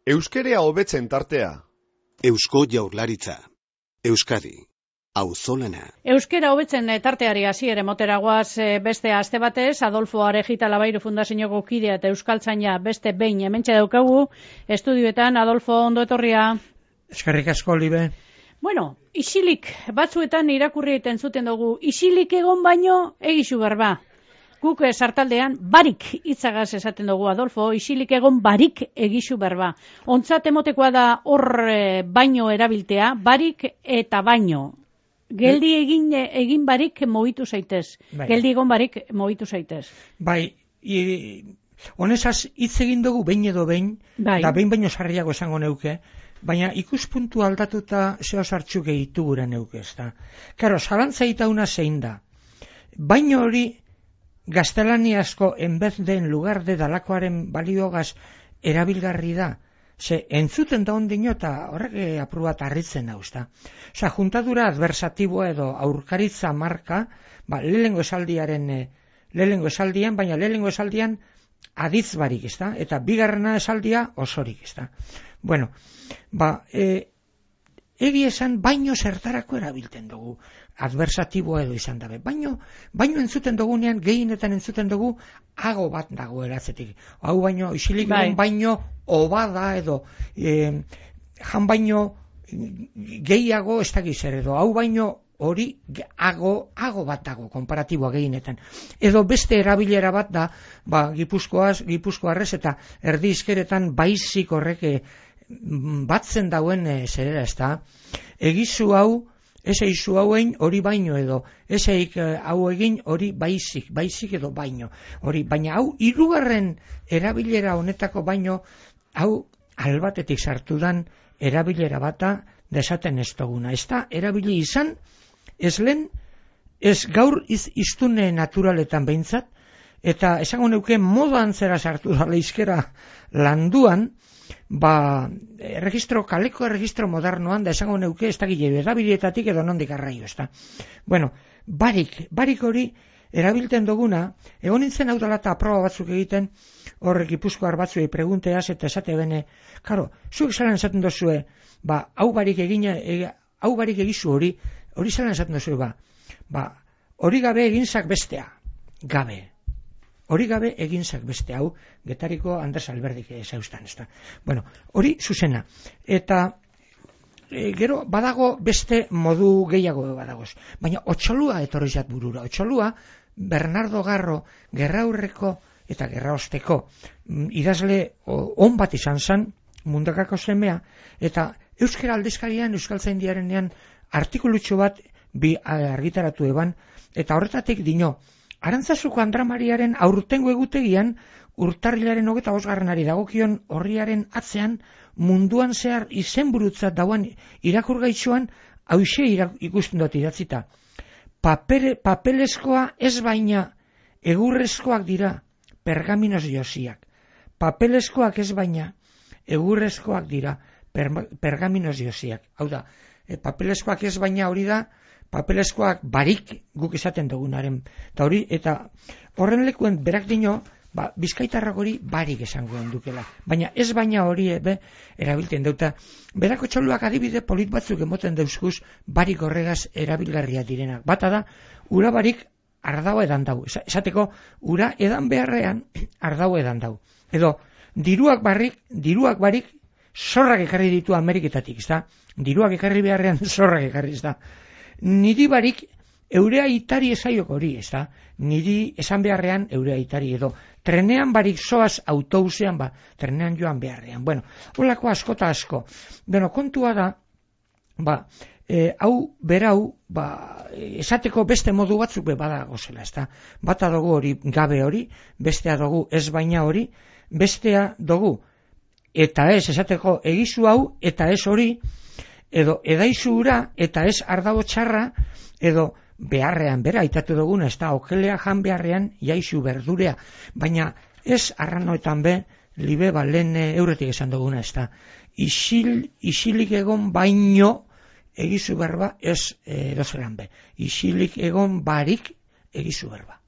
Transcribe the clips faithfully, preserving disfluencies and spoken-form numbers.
Euskerea hobetzen tartea. Eusko Jaurlaritza. Euskadi. Auzolana. Euskera hobetzen tarteari hasiere moteragoaz beste aste batez, Adolfo Arejita Labairu Fundazioko kidea eta euskaltzaina beste behin hementxe daukagu, estudioetan. Adolfo, ondo etorria. Eskerrik asko, Libe. Bueno, isilik batzuetan irakurri egiten zuten dugu, isilik egon baino egizu berba. Guk sartaldean barik hitzagaz esaten dugu, Adolfo, isilik egon barik egizu berba. Ontzat emotekoa da hor baino erabiltea, barik eta baino. Geldi egin egin barik mogitu zaitez. Bai. Geldi egon barik mogitu zaitez. Bai, i, honezaz hitz egin dugu behin edo behin, bai. Da behin baino sarriago esango neuke, baina ikuspuntu aldatuta zeo sartxu gehitu gure neuke, ezta. Karo, zalantza itauna zein da. Baino hori gaztelaniazko enbez den lugar de dalakoaren baliogaz erabilgarri da. Ze, entzuten da ondino eta horrek apur bat harritzen hau, ezta. Osa, juntadura adversatiboa edo aurkaritza marka, ba, lehengo esaldiaren, lehengo esaldian, baina lehengo esaldian aditz barik, ezta, eta bigarrena esaldia osorik, ezta. Bueno, ba, e, egi esan baino zertarako erabilten dugu, adversatiboa edo izan dabe. Baino, baino entzuten dugunean, gehienetan entzuten dugu, hago bat dago eratzetik. Hau baino, isilik bai. Baino, obada edo, e, jan baino, gehiago ez dakiz ere edo, hau baino, hori, hago, hago bat dago, komparatiboa gehienetan. Edo beste erabilera bat da, ba, gipuzkoaz, gipuzkoarrez eta erdi izkeretan baizik horrek e, batzen dauen e, zerera ez da. Egizu hau, ez eizu hauen hori baino edo, ez eik hau egin hori baizik, baizik edo baino. Hori, baina hau hirugarren erabilera honetako baino, hau albatetik sartu dan erabilera bata desaten ez duguna. Ez da, erabili izan, ez lehen, ez gaur iz, iztune naturaletan behintzat, eta esango neuke modan zera sartu da leizkera landuan, ba, registro, kaleko registro modernoan, da esango neuke, ez da gile, erabilietatik edo nondik arraio, ez da. Bueno, barik, barik hori, erabilten duguna, egon nintzen hau dela eta aproba batzuk egiten, horrek Gipuzkoar batzuei pregunteaz, eta esate bene, karo, zuek zalan esaten dozue, ba, hau barik egina, e, hau barik egizu hori, hori zalan esaten dozue, ba, ba, hori gabe eginzak bestea, gabe. Hori gabe eginzak beste hau, Getariko Andres Alberdik ezaustan, ez da. Bueno, hori zuzena. Eta e, gero badago beste modu gehiago badagoz. Baina otxolua etorri zat burura. Otxolua, Bernardo Garro, gerraurreko eta gerraosteko idazle on bat izan zan, mundakako semea, eta euskara aldizkarian, euskaltzaindiarenean artikulutxo bat bi argitaratu eban, eta horretatik dino, Arantzazuko Andramariaren aurtengo egutegian urtarrilaren hogeta bosgarrenari dagokion horriaren atzean munduan zehar izenburutzat dauan irakurgaitxoan hauxe ikusten dut idatzita. Papere, papelezkoa ez baina egurrezkoak dira pergaminos josiak. Papelezkoak ez baina egurrezkoak dira per, pergaminos josiak. Hau da, e, papelezkoak ez baina hori da papelezkoak barik guk esaten dugunaren. Eta hori, eta horren lekuen berak dino, ba, bizkaitarrak hori barik esangoen dukela. Baina ez baina hori ebe erabilten dauta. Berako txoluak adibide polit batzuk emoten dauzkuz barik horregaz erabilgarria direnak. Bata da, ura barik ardau edan dau. Esateko, ura edan beharrean ardau edan dau. Edo, diruak barik, diruak barik zorrak ekarri ditu Ameriketatik, ez da? Diruak ekarri beharrean zorrak ekarri, ez da? Niri barik eurea itari esaiok hori, ez da? Niri esan beharrean eurea itari edo. Trenean barik zoaz autobusean, ba, trenean joan beharrean. Bueno, holako asko eta asko. Bueno, kontua da, ba, e, hau, berau, ba, esateko beste modu batzuk be badago zela, ez da? Bata dugu hori gabe hori, bestea dugu ez baina hori, bestea dugu eta ez esateko egizu hau, eta ez hori, edo edaizu ura eta ez ardago txarra, edo beharrean, bera, aitatu duguna, ez da, okelea jan beharrean jaizu berdurea, baina ez arranoetan be, libe balen euretik esan duguna, ez da, isil, isilik egon baino egizu berba ez edozelan be, isilik egon barik egizu berba.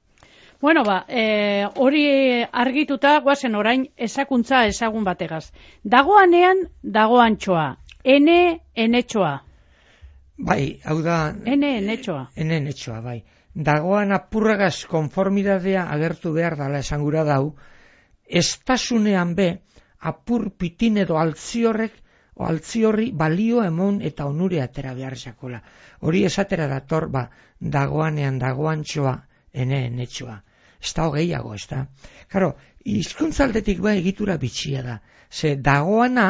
Bueno, ba, e, hori argituta, guazen orain, ezakuntza ezagun bategaz. Dagoanean, dagoantxoa. Ene, enetxoa. Bai, hau da... Ene, enetxoa. Ene, enetxoa, bai. Dagoan apurragaz konformidadea agertu behar dala esangura dau, estasunean be, apur pitin edo altziorrek, o altziorri balio emon eta onure atera behar jakola. Hori esatera dator, ba, dagoanean, dagoantxoa, ene, enetxoa. Ez da hogeiago, ez da. Karo, hizkuntzaldetik ba egitura bitxia da. Ze dagoana,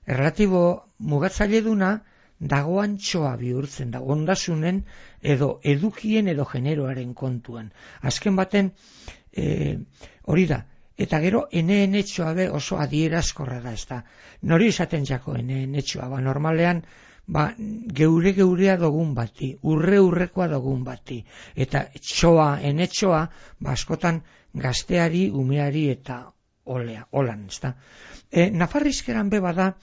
erlatibo mugatzaile duna, dagoantxoa bihurtzen da, ondasunen edo edukien edo generoaren kontuan. Azken baten, e, hori da, eta gero ene enetxoa be oso adierazkorra da, ez da. Nori esaten jako ene enetxoa, ba, normalean, ba, geure geurea dogun bati, urre urrekoa dogun bati, eta txoa, enetxoa, ba, askotan gazteari, umeari eta olea, olan, ez da. E, Nafarrizkeran be bada,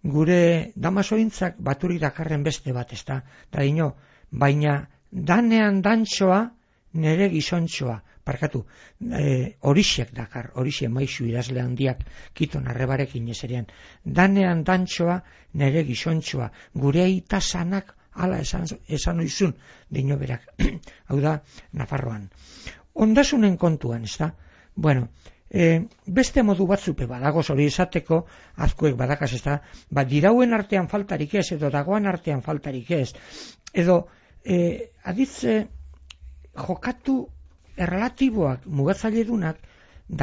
gure damasointzak baturi dakarren beste bat, ez da, da ino, baina danean dantxoa nere gizontxoa, parkatu, e, horixek dakar, horixe maizu idazle handiak kiton arrebarekin ezerean, danean dantxoa nere gizontxoa, gure aita sanak ala esan, esan oizun, dino berak, hau da, Nafarroan. Ondasunen kontuan, ez da, bueno, E, beste modu batzupe badagoz hori esateko, azkuek badakaz ez da, ba, dirauen artean faltarik ez, edo dagoan artean faltarik ez, edo e, aditze jokatu erlatiboak, mugatzailedunak,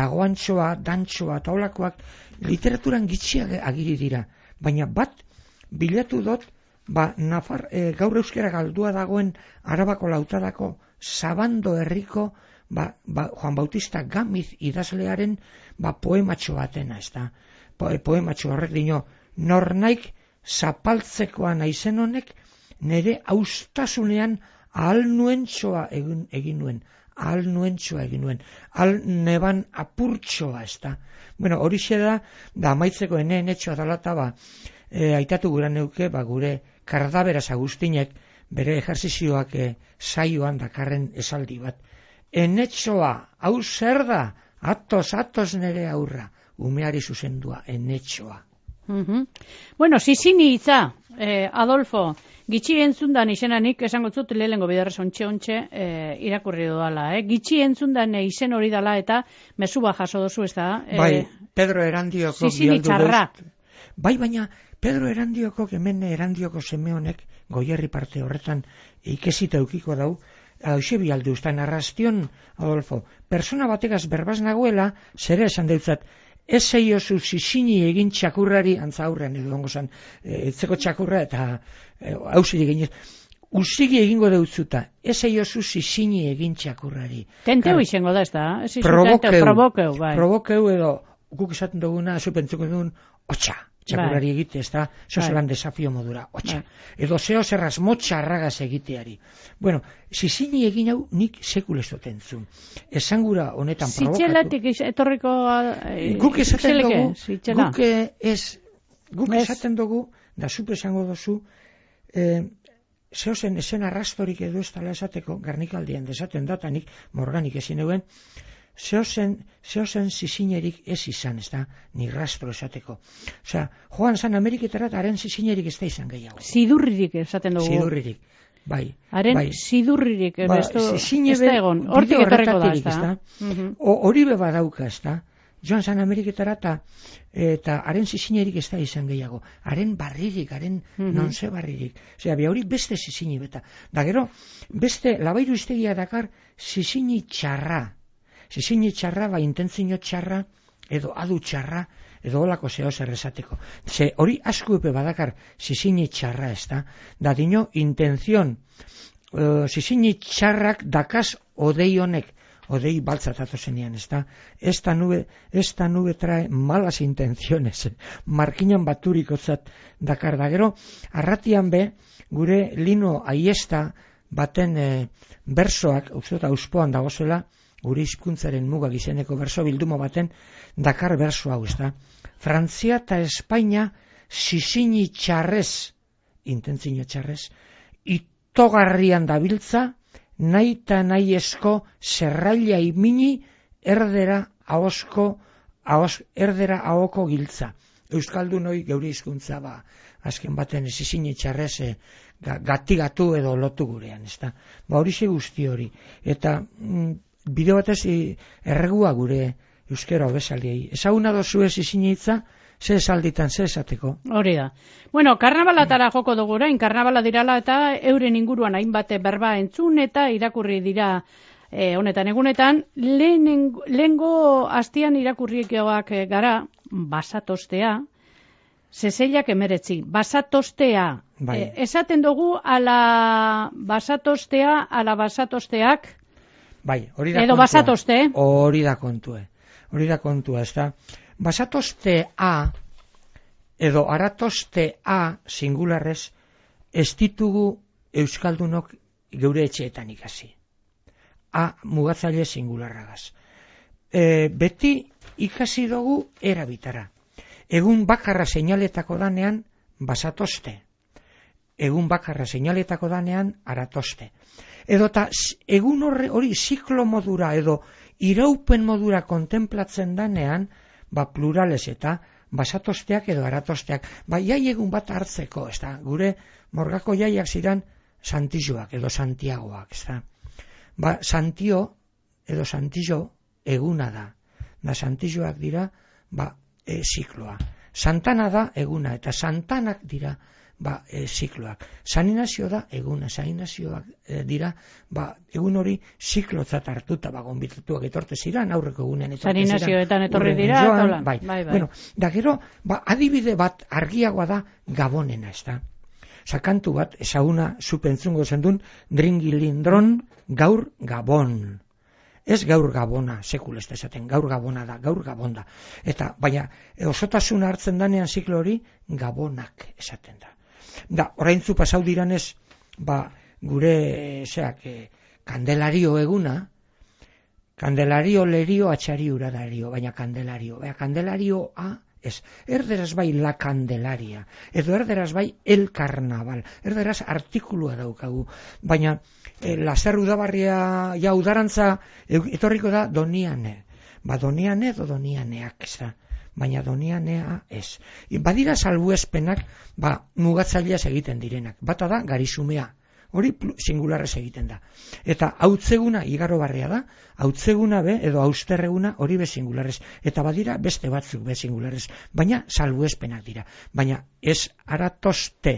dagoantxoa, dantxoa, taulakoak, literaturan gitxiak agiri dira, baina bat bilatu dut, ba, Nafar, e, gaur euskera galdua dagoen Arabako lautadako Zabando herriko Ba, ba, Juan Bautista Gamiz idazlearen ba, poematxo batena, ez da. Po, poematxo horrek dino, nornaik zapaltzekoa naizen honek, nire austasunean ahal nuentxoa egin, egin nuen, ahal nuentxoa egin nuen, ahal neban apurtxoa, ez da. Bueno, hori da, da amaitzeko ene enetxoa dalata, ba, e, aitatu gura neuke, ba, gure Kardaberaz Agustinek, bere ejerzizioak e, saioan dakarren esaldi bat. Enetxoa, hau zer da, atos, atos nere aurra, umeari zuzendua, enetxoa. Mm-hmm. Bueno, zizini hitza, eh, Adolfo, gitxi entzundan izenanik, esango zut lehengo biderrez ontxe-ontxe eh, irakurri dudala, eh? Gitxi entzundan eh, izen hori dala eta mezuba jaso dozu, ez da? Eh, bai, Pedro Erandioko zizini txarra. Bai, baina Pedro Erandioko, hemen Erandioko seme honek, Goierri parte horretan, ikesita eukiko dau, hauxe bialdu, usta narraztion, Adolfo, persona bategaz berbaz nagoela, zere esan deutzat, ez zeiozu zizini egin txakurrari, antza aurrean edo dongo zan, etzeko txakurra eta hausiri e, egin, usigi egingo deutzuta, ez zeiozu zizini egin txakurrari. Tenteu izango da, ez da? Probokeu, probokeu, bai. Probokeu edo, guk esaten duguna, zupentzuko dugun, otxa. Txakurrari bai. Egite, ez da, zozelan bai. Desafio modura, otxa. Bai. Edo zeo zerraz motxa arragaz egiteari. Bueno, zizini egin hau nik sekulezoten zuen. Esangura honetan provokatu. Zitxelatik etorriko... Eh, guk esaten dugu, guk, ez, guk ez. esaten dugu, da zupe esango dozu, eh, zeo zen esen arrastorik edo ez tala esateko, garnikaldian desaten datanik, morganik ezin euen, Zeo zen, zeo zen zizinerik ez izan, ez da, ni rastro esateko. Osea, joan zan Ameriketara, haren zizinerik ez da izan gehiago. Zidurririk esaten dugu. Zidurririk, bai. Haren bai. zidurririk, ba, ez da egon. Hortik etorreko da, ez da. Hori beba dauka, ez da. Joan zan Ameriketara, eta haren zizinerik ez da izan gehiago. Haren barririk, haren mm-hmm. nonze barririk. Osea, bi hori beste zizini beta. Da gero, beste labairu iztegia dakar zizini txarra. Zizini txarra, ba, intentzio txarra, edo adu txarra, edo olako zeo zer esateko. Ze hori asko epe badakar zizini txarra ez da, da dino intenzion, uh, zizini txarrak dakaz odei honek, odei baltzatatu zenean ez da, esta nube, esta nube trae malas intenciones, markinan baturiko zat dakar da gero, arratian be, gure lino aiesta baten eh, bersoak, uste eta auspoan dagozela, gure hizkuntzaren mugak izeneko berso bilduma baten dakar berso hau, ez da. Frantzia eta Espainia zizini txarrez, intentzio txarrez, itogarrian dabiltza nahi eta nahi esko zerraila imini erdera ahosko, ahos, erdera ahoko giltza. Euskaldun hoi geure hizkuntza ba, azken baten ez izin etxarrez e, gatigatu edo lotu gurean, ezta. Ba horixe guzti hori. Eta mm, bideo batez erregua gure euskera hobesaldiei. Ezaguna dozu ez izin hitza, ze esalditan, ze esateko. Hori da. Bueno, karnabalatara joko dugu orain, karnabala dirala eta euren inguruan hainbate berba entzun eta irakurri dira e, honetan egunetan. Lehenengo, lehengo astian irakurrikoak gara, basatostea, zezeiak emeretzi, basatostea. Bai. E, esaten dugu ala basatostea, ala basatosteak, bai, hori da edo kontua. basatoste. Hori da kontue. Hori da kontua, ez da. Basatostea edo aratostea singularrez ez ditugu euskaldunok geure etxeetan ikasi. A mugatzaile singularragaz. E, beti ikasi dugu erabitara. Egun bakarra seinaletako danean basatoste. Egun bakarra seinaletako danean aratoste. Edo eta egun horre hori ziklo modura edo iraupen modura kontemplatzen danean, ba plurales eta basatosteak edo aratosteak, ba jai egun bat hartzeko, ez da, gure morgako jaiak ziren Santijoak edo Santiagoak, ez da. Ba, Santio edo Santijo eguna da, da Santijoak dira, ba, e, zikloa. Santana da eguna, eta Santanak dira, ba, e, zikloak. San Inazio da eguna, San Inazioak e, dira, ba, egun hori ziklotzat hartuta, ba, gonbitatuak etorte ziren, aurreko egunean etorte ziren. San Inazioetan etorri dira, joan, bai, bai, bai, bai. Bueno, da gero, ba, adibide bat argiagoa da Gabonena, ez da. Sakantu bat, ezaguna zupentzungo zendun, dringilindron gaur Gabon. Ez gaur Gabona, sekul ez da esaten, gaur Gabona da, gaur Gabon da. Eta, baina, osotasuna hartzen danean ziklo hori, Gabonak esaten da. Da, oraintzu pasau diranez, ba, gure, zeak, e, kandelario eguna, kandelario lerio atxari uradario, baina kandelario, baina kandelarioa, ez, erderaz bai la candelaria, edo erderaz bai el carnaval, erderaz artikulua daukagu, baina e, lazer udabarria ja udarantza etorriko da doniane, ba doniane edo donianeak, ez da. Baina donianea ez. Badira salbuespenak, ba, mugatzaileaz egiten direnak. Bata da, garizumea. Hori singularrez egiten da. Eta hautzeguna igaro barria da, hautzeguna be, edo austerreguna hori be singularrez. Eta badira beste batzuk be singularrez. Baina salbuespenak dira. Baina ez aratoste,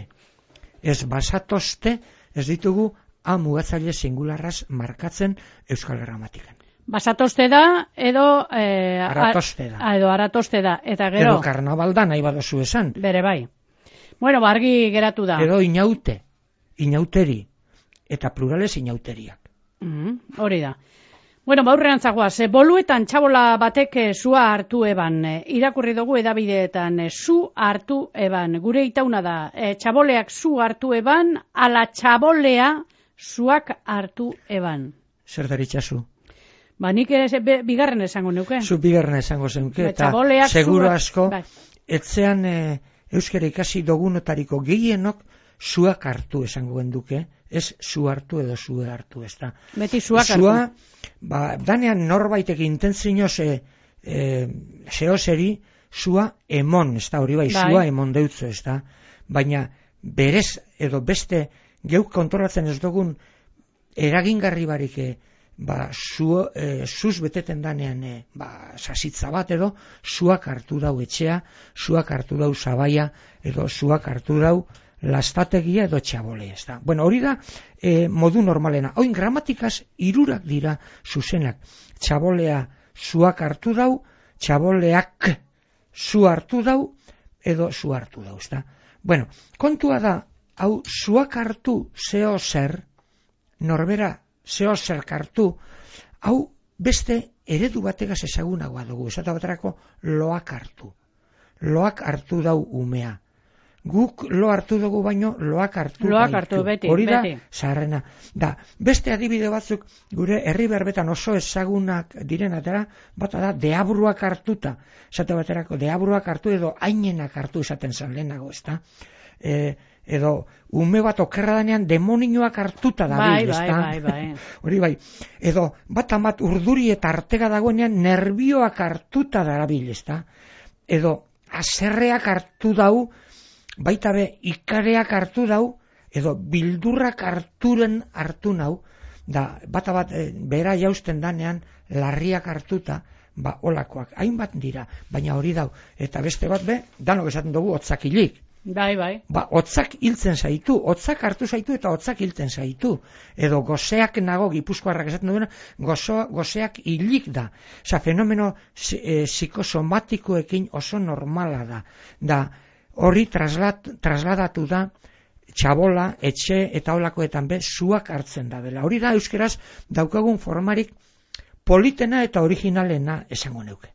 ez basatoste, ez ditugu a mugatzaile singularraz markatzen euskal gramatikan. Basatoste da, edo... Eh, aratoste da. A, edo aratoste da, eta gero... Edo karnaval da, nahi badozu esan. Bere bai. Bueno, bargi geratu da. Edo inaute, inauteri, eta plurales inauteriak. Mm, hori da. Bueno, baurrean zagoa, ze boluetan txabola batek zua hartu eban, irakurri dugu edabideetan, zu hartu eban, gure itauna da, e, txaboleak zu hartu eban, ala txabolea zuak hartu eban. Zer daritzazu? Ba, nik ere be, bigarren esango neuke. Zu bigarren esango zenke, eta seguro asko, bai. Etzean e, euskara ikasi dogunotariko gehienok zuak hartu esango genduke, ez zu hartu edo zu hartu, ez da. Beti zuak hartu. Zua, ba, danean norbaitek intentzinoz e, e, zehozeri, zua emon, ez da, hori bai, bai. Zua emon deutzo, ez da. Baina berez edo beste geuk kontrolatzen ez dugun eragingarri barik ba, zu, e, zuz beteten danean e, ba, sasitza bat edo zuak hartu dau etxea, zuak hartu dau zabaia edo zuak hartu dau lastategia edo txabole, ez da. Bueno, hori da e, modu normalena. Oin gramatikaz hirurak dira zuzenak. Txabolea zuak hartu dau, txaboleak zu hartu dau edo zu hartu dau, ez da. Bueno, kontua da, hau zuak hartu zeo zer, norbera zeo zer hartu, hau beste eredu bategaz ezagunagoa dugu, esata baterako loak hartu. Loak hartu dau umea. Guk lo hartu dugu baino loak hartu loak hartu, beti, hori da, beti. Zaharrena. Da, beste adibide batzuk gure herri berbetan oso ezagunak direnatera, bata da, deabruak hartuta. Esate baterako, deabruak hartu edo ainenak hartu esaten zan lehenago, ez da? E, edo ume bat okerra danean demonioak hartuta dabil, bai, bai, bai, bai. Hori bai, edo bat amat urduri eta artega dagoenean nervioak hartuta darabil, ezta? Edo aserreak hartu dau, baita be ikareak hartu dau, edo bildurrak harturen hartu nau, da bata bat e, bera jausten danean larriak hartuta, ba olakoak, hainbat dira, baina hori dau, eta beste bat be, danok esaten dugu otzakilik. Bai, bai. Ba, hotzak hiltzen zaitu, hotzak hartu zaitu eta hotzak hiltzen zaitu. Edo goseak nago, gipuzkoarrak esaten duena, gozo, goseak hilik da. Osa, fenomeno e, psikosomatikoekin oso normala da. Da, hori traslat, trasladatu da, txabola, etxe eta olakoetan be, zuak hartzen da dela. Hori da, euskeraz, daukagun formarik politena eta originalena esango neuke.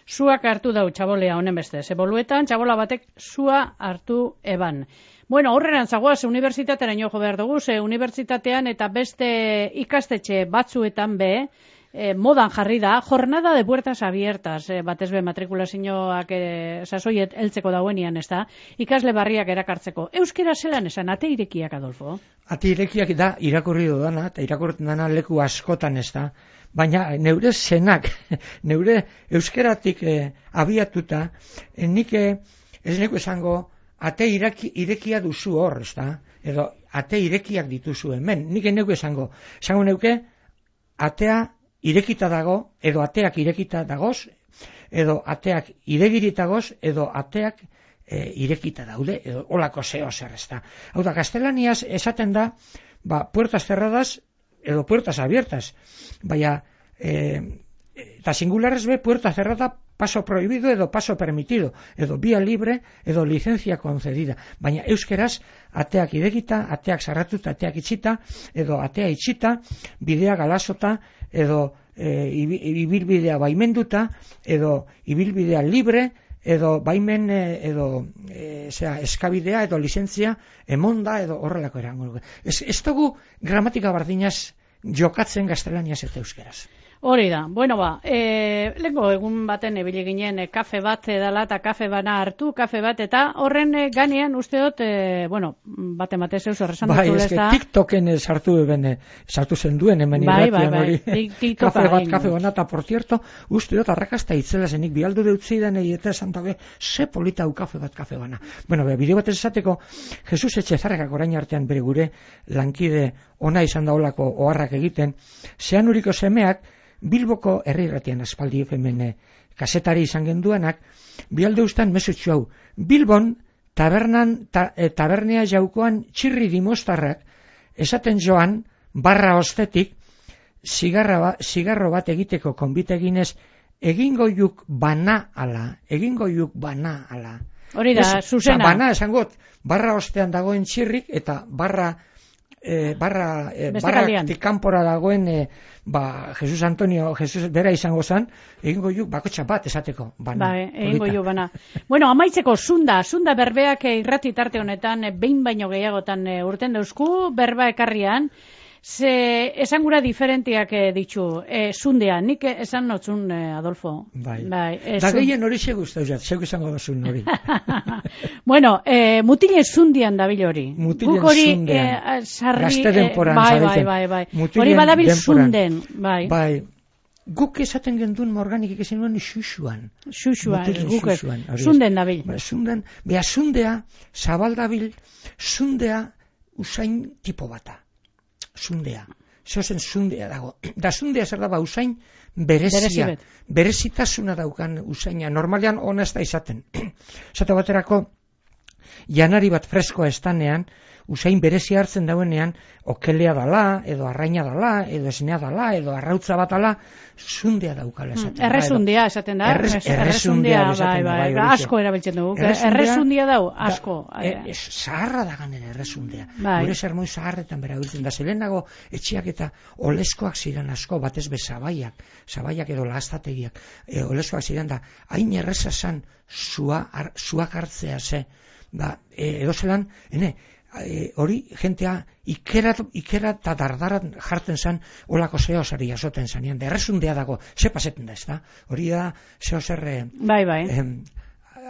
Suak hartu dau txabolea honen beste. Zeboluetan, txabola batek sua hartu eban. Bueno, horreran zagoaz, unibertsitatearen jo behar dugu, ze unibertsitatean eta beste ikastetxe batzuetan be, eh, modan jarri da, jornada de puertas abiertas, eh, batez be matrikulazioak eh, sasoiet heltzeko dauenian, ez da, ikasle barriak erakartzeko. Euskera zelan esan, ate irekiak, Adolfo? Ate irekiak da, irakurri dudana, eta irakurri dudana leku askotan, ez da, baina neure zenak, neure euskeratik eh, abiatuta, eh, nik eh, ez neko esango ate iraki, irekia duzu hor, ez da? Edo ate irekiak dituzu hemen, nik neko esango, esango neuke, atea irekita dago, edo ateak irekita dagoz, edo ateak iregiritagoz, edo ateak eh, irekita daude, edo olako zeo zer, ez da? Hau da, gaztelaniaz esaten da, ba, puertas cerradas, edo puertas abiertas, baina eh, eta singulares be puerta cerrada, paso prohibido edo paso permitido, edo vía libre edo licencia concedida, baina euskeraz ateak idekita, ateak sarratuta, ateak itxita, edo atea itxita, bidea galasota, edo e, ibilbidea baimenduta, edo ibilbidea libre, edo baimen, edo e, zera, eskabidea, edo lizentzia emonda, edo horrelako erango. Ez, ez dugu gramatika bardinaz jokatzen gaztelaniaz eta euskeraz. Hori da, bueno ba, e, lengo egun baten ebile ginen e, kafe bat edala eta kafe bana hartu, kafe bat, eta horren e, ganean uste dut, e, bueno, bate matez eus horrezan bai, dut ez TikToken sartu bene, sartu zen duen hemen bai, irratian bai, hori. Bai, kafe bat, kafe bana, eta por cierto, uste dut arrakasta itzela zenik, bialdu deutzi den eta esan dabe, ze polita hau kafe bat, kafe bana. Bueno, be, bideo bat ez esateko, Jesus Etxezarrekak orain artean bere gure lankide ona izan daulako oharrak egiten, zean uriko semeak, Bilboko herrirratian aspaldi efemene kasetari izan genduanak, bialde ustan mesutxu hau. Bilbon tabernan, ta, e, tabernea jaukoan txirri dimostarrak esaten joan barra ostetik zigarra ba, zigarro bat egiteko konbite eginez egingo juk bana ala, egingo juk bana ala. Hori da, Ez, zuzena. Bana esangot, barra ostean dagoen txirrik eta barra E, barra, e, barra kanpora dagoen e, ba, Jesus Antonio, Jesus bera izango zen, egingo juk bakotxa bat esateko bana. Ba, egingo juk bana. Bueno, amaitzeko zunda, zunda berbeak e, irrati tarte honetan, e, behin baino gehiagotan e, urten dauzku, berba ekarrian, ze esangura diferentiak e, ditzu, e, zundea, nik esan notzun, e, Adolfo. Bai, bai e, da gehien hori segu uste dut, segu izango duzun hori. Bueno, e, mutile zundian dabil hori. Mutilen hori, zundean, e, sarri, gazte denporan, e, bai, zareten. bai, bai, bai. Mutilen Hori badabil denporan. zunden, bai. Bai, guk esaten genduen morganik ekezen nuen xuxuan. Xuxuan, Mutilen guk ez, xuxuan, hori ez. zunden dabil. Ba, zunden, beha zundea, zabaldabil, zundea usain tipo bata. Zundea. Zozen zundea dago. Da zundea zer da ba usain berezia. Berezi Berezitasuna daukan usaina. Normalean ona ez da izaten. Zate baterako, janari bat freskoa estanean, usain berezia hartzen dauenean, okelea dala, edo arraina dala, edo esnea dala, edo arrautza bat dala, zundea daukala esaten da. Errezundia esaten da. Errez, errezundia esaten da. Bai, bai, asko erabiltzen dugu. Errezundia dau, asko. Da, e, zaharra da ganera errezundea. Bai. Gure sermoi zaharretan bera biltzen da. Zelenago etxiak eta oleskoak ziren asko, batez be zabaiak, zabaiak edo lastategiak, e, oleskoak ziren da, hain erreza zan zua, ar, zuak hartzea ze, ba, e, edo zelan, ene, E, hori jentea ikera eta dardaran jartzen zan olako zeo zari jasoten zanean, da errezundea dago, ze paseten da ez da, hori da zeo zer bai, bai. Em,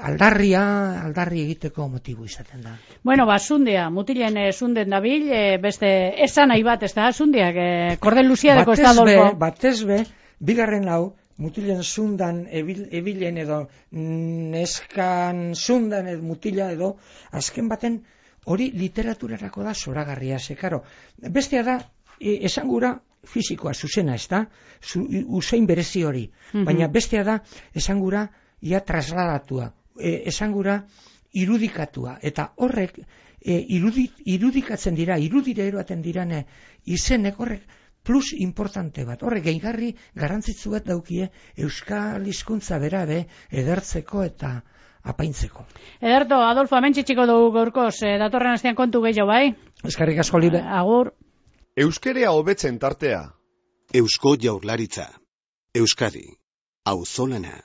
aldarria, aldarri egiteko motibu izaten da. Bueno, ba, zundea, mutilen e, zunden dabil, e, beste esan nahi bat, ez da, zundeak, e, kordel luziadeko ez da, Adolfo. Batez be, bigarren hau, mutilen zundan ebil, ebilen edo neskan zundan edo mutila edo, azken baten hori literaturarako da zoragarria, ze, karo, bestea da, e, esangura fisikoa, zuzena, ez da, usain berezi hori, mm-hmm. baina bestea da, esangura ia trasladatua, e, esangura irudikatua, eta horrek e, irudi, irudikatzen dira, irudire eroaten dirane izenek horrek plus importante bat, horrek gehigarri garrantzitsu bat daukie euskal hizkuntza berabe edertzeko eta apaintzeko. Ederto, Adolfo, hemen txitxiko dugu gaurkoz, e, datorren astean kontu gehiago, bai? Eskerrik asko libre. Agur. Euskerea hobetzen tartea. Eusko Jaurlaritza. Euskadi. Auzolana.